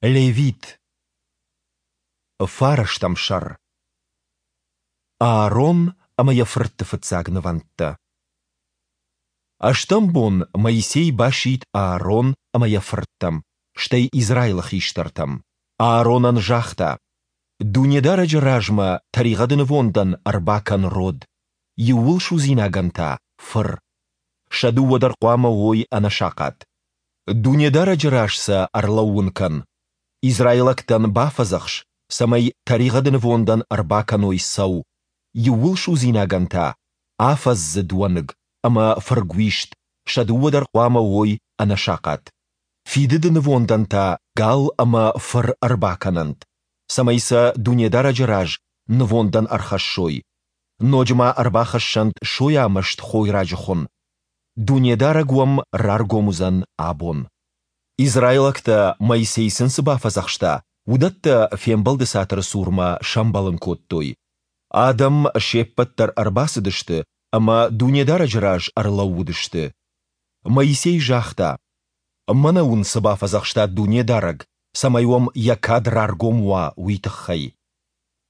Левит. Фарӕстӕм сӕр. Аарон ӕмӕ йӕ фыртты фыццаг нывӕндтӕ. Ӕстӕм бон Моисей басидт Аарон ӕмӕ йӕ фырттӕм, стӕй Израилы хистӕртӕм. Ааронӕн загъта: Дунедарӕджы размӕ тӕригъӕды нывондӕн ӕрбакӕн род, иууылсудзинагӕн та – фыр. Сӕ дыууӕ дӕр хъуамӕ уой ӕнӕсахъат. Дунедарӕджы раз сӕ ӕрлӕууын кӕн. Израилӕгтӕн бафӕдзӕхс, цӕмӕй тӕригъӕды нывондӕн ӕрбакӕной цӕу, иууылсудзинагӕн та – афӕдздзыд уӕныг ӕмӕ фыргуист, сӕ дыууӕ дӕр хъуамӕ уой ӕнӕсахъат. Фидыды нывондӕн та гал ӕмӕ фыр ӕрбакӕнӕнт, цӕмӕй сӕ Дунедарӕджы раз нывондӕн ӕрхӕссой. Ноджы ма ӕрбахӕссӕнт сойамӕст хойраджы хуын. Дунедарӕг уӕм раргом уыдзӕн абон. Израилӕгтӕ, Моисей сын цы бафӕдзӕхста, уыдӕттӕ Фембӕлды цатыры цурмӕ сӕмбӕлын кодтой. Адӕм се ппӕт дӕр ӕрбацыдысты ӕмӕ Дунедарӕджы раз ӕрлӕууыдысты. Моисей загъта: Мӕнӕ уын цы бафӕдзӕхста Дунедарӕг, цӕмӕй уӕм Йӕ кад раргом уа, уый тыххӕй.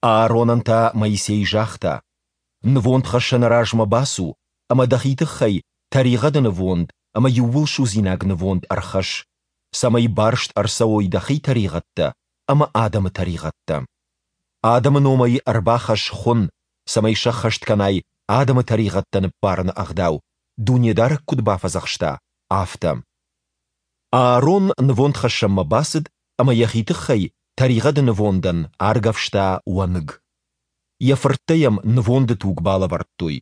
Ааронӕн та Моисей загъта: Нывондхӕссӕны размӕ бацу ӕмӕ дӕхи тыххӕй тӕригъӕды нывонд ӕмӕ иууылсудзинаг нывонд ӕрхӕсс, цӕмӕй барст ӕрцӕуой дӕхи тӕригъӕдтӕ ӕмӕ адӕмы тӕригъӕдтӕ. Адӕмы номӕй ӕрбахӕсс хуын, цӕмӕй сӕххӕст кӕнай адӕмы тӕригъӕдтӕ ныббарыны ӕгъдау, Дунедарӕг куыд бафӕдзӕхста, афтӕ. Аарон нывондхӕссӕнмӕ бацыд ӕмӕ йӕхи тыххӕй тӕригъӕды нывондӕн аргӕвста уӕныг. Йӕ фырттӕ йӕм нывонды туг балӕвӕрдтой.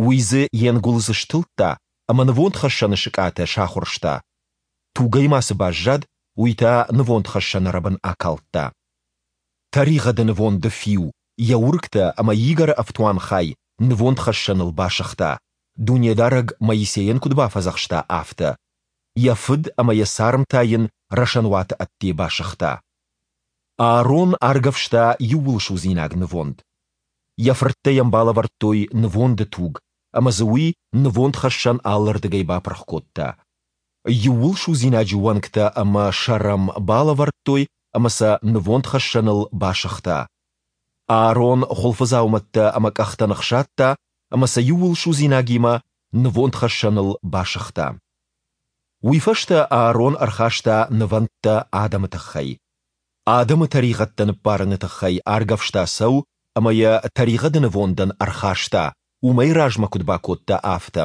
Уый дзы йе нгуылдз стылдта ӕмӕ нывондхӕссӕны сыкъатӕ сахуырста. Тугӕй ма цы баззад, уый та нывондхӕссӕны рӕбын акалдта. Тӕригъӕды нывонды фиу, йӕ уыргтӕ ӕмӕ игӕры ӕфтуанхай нывондхӕссӕныл басыгъта, Дунедарӕг Моисейӕн куыд бафӕдзӕхста, афтӕ. Йӕ фыд ӕмӕ йӕ царм та йын рӕсӕнуаты ӕдде басыгъта. Аарон аргӕвста иууылсудзинаг нывонд. Йӕ фырттӕ йӕм балӕвӕрдтой нывонды туг, ӕмӕ дзы уый нывондхӕссӕн алырдыгӕй бапырх кодта. Иууылсудзинаджы уӕнгтӕ ӕмӕ сӕр ӕм балӕвӕрдтой ӕмӕ сӕ нывондхӕссӕныл басыгъта. Аарон хуылфыдзаумӕттӕ ӕмӕ къӕхтӕ ныхсадта ӕмӕ сӕ иууылсудзинагимӕ нывондхӕссӕныл басыгъта. Уый фӕстӕ Аарон ӕрхаста нывӕндтӕ адӕмы тыххӕй. Адӕмы тӕригъӕдтӕ ныббарыны тыххӕй аргӕвста цӕу ӕмӕ йӕ тӕригъӕды нывондӕн ӕрхаста, уымӕй размӕ куыд бакодта, афтӕ.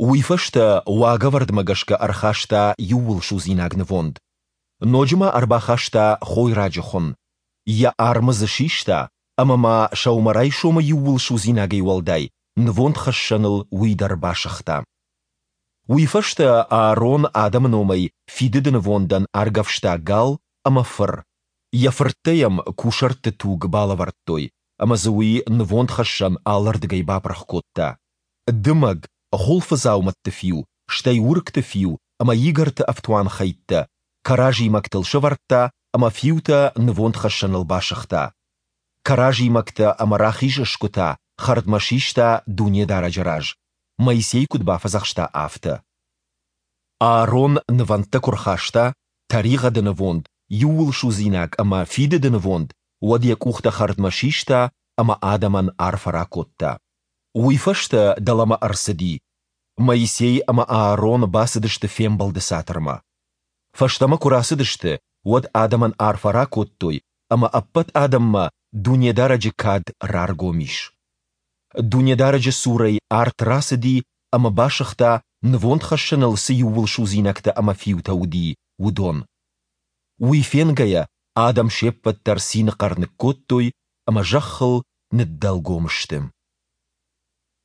Уый фӕстӕ уагӕвӕрдмӕ гӕсгӕ ӕрхаста иууылсудзинаг нывонд. Ноджы ма ӕрбахаста хойраджы хуын. Йӕ армы дзы систа ӕмӕ ма сӕумӕрайсомы иууылсудзинагӕй уӕлдай нывондхӕссӕныл уый дӕр басыгъта. Уый фӕстӕ Аарон адӕмы номӕй фидыды нывондӕн аргӕвста гал ӕмӕ фыр. Йӕ фырттӕ йӕм кусӕртты туг балӕвӕрдтой, ӕмӕ дзы уый нывондхӕссӕн алырдыгӕй бапырх кодта. Дымӕг, хуылфыдзаумӕтты фиу, стӕй уыргты фиу ӕмӕ игӕрты ӕфтуанхӕйттӕ кӕразимӕгтыл сӕвӕрдта ӕмӕ фиутӕ нывондхӕссӕныл басыгъта. Кӕразимӕгтӕ ӕмӕ рахиз сгуытӕ хӕрдмӕ систа Дунедарӕджы раз, Моисей куыд бафӕдзӕхста, афтӕ. Аарон нывӕндтӕ куы рхаста, тӕригъӕды нывонд, иууылсудзинаг ӕмӕ фидыды нывонд, уӕд йӕ къухтӕ хӕрдмӕ систа ӕмӕ адӕмӕн арфӕ ракодта. Уый фӕстӕ дӕлӕмӕ ӕрцыди. Моисей ӕмӕ Аарон бацыдысты фембӕлды цатырмӕ. Фӕстӕмӕ куы рацыдысты, уӕд адӕмӕн арфӕ ракодтой, ӕмӕ ӕппӕт адӕммӕ Дунедарӕджы кад раргом ис. Дунедарӕджы цурӕй арт рацыди ӕмӕ басыгъта, нывондхӕссӕныл цы иууылсудзинӕгтӕ ӕмӕ фиутӕ уыди, уыдон. Уый фенгӕйӕ, адӕм се ппӕт дӕр цины хъӕр ныккодтой ӕмӕ зӕххыл ныддӕлгом сты.